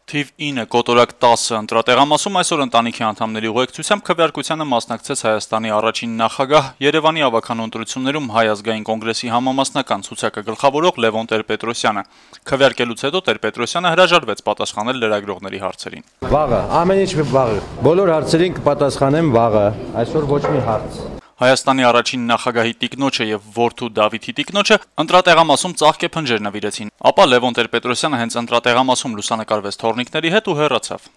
Թիվ 9 կոտորակ 10 ընտրատեղամասում այսօր ընտանիքի անդամների ուղեկցությամբ քվեարկությանը մասնակցեց Հայաստանի առաջին նախագահ, Երևանի ավագանու ընտրություններում Հայ ազգային կոնգրեսի համամասնական ցուցակը գլխավորող Լևոն Տեր-Պետրոսյանը։ Քվեարկելուց հետո Տեր-Պետրոսյանը հրաժարվեց պատասխանել լրագրողների հարցերին։ Վաղը, ամեն ինչ վաղը։ Բոլոր հարցերին կպատասխանեմ վաղը, այսօր ոչ մի հարց։ Հայաստանի առաջին նախագահի տիկնոջը եւ որդու Դավիթի տիկնոջը ընտրատեղամասում ծաղկե փնջեր նվիրեցին, ապա Լևոն Տեր-Պետրոսյանը հենց ընտրատեղամասում լուսանկարվեց թորնիկների հետ ու հեռացավ։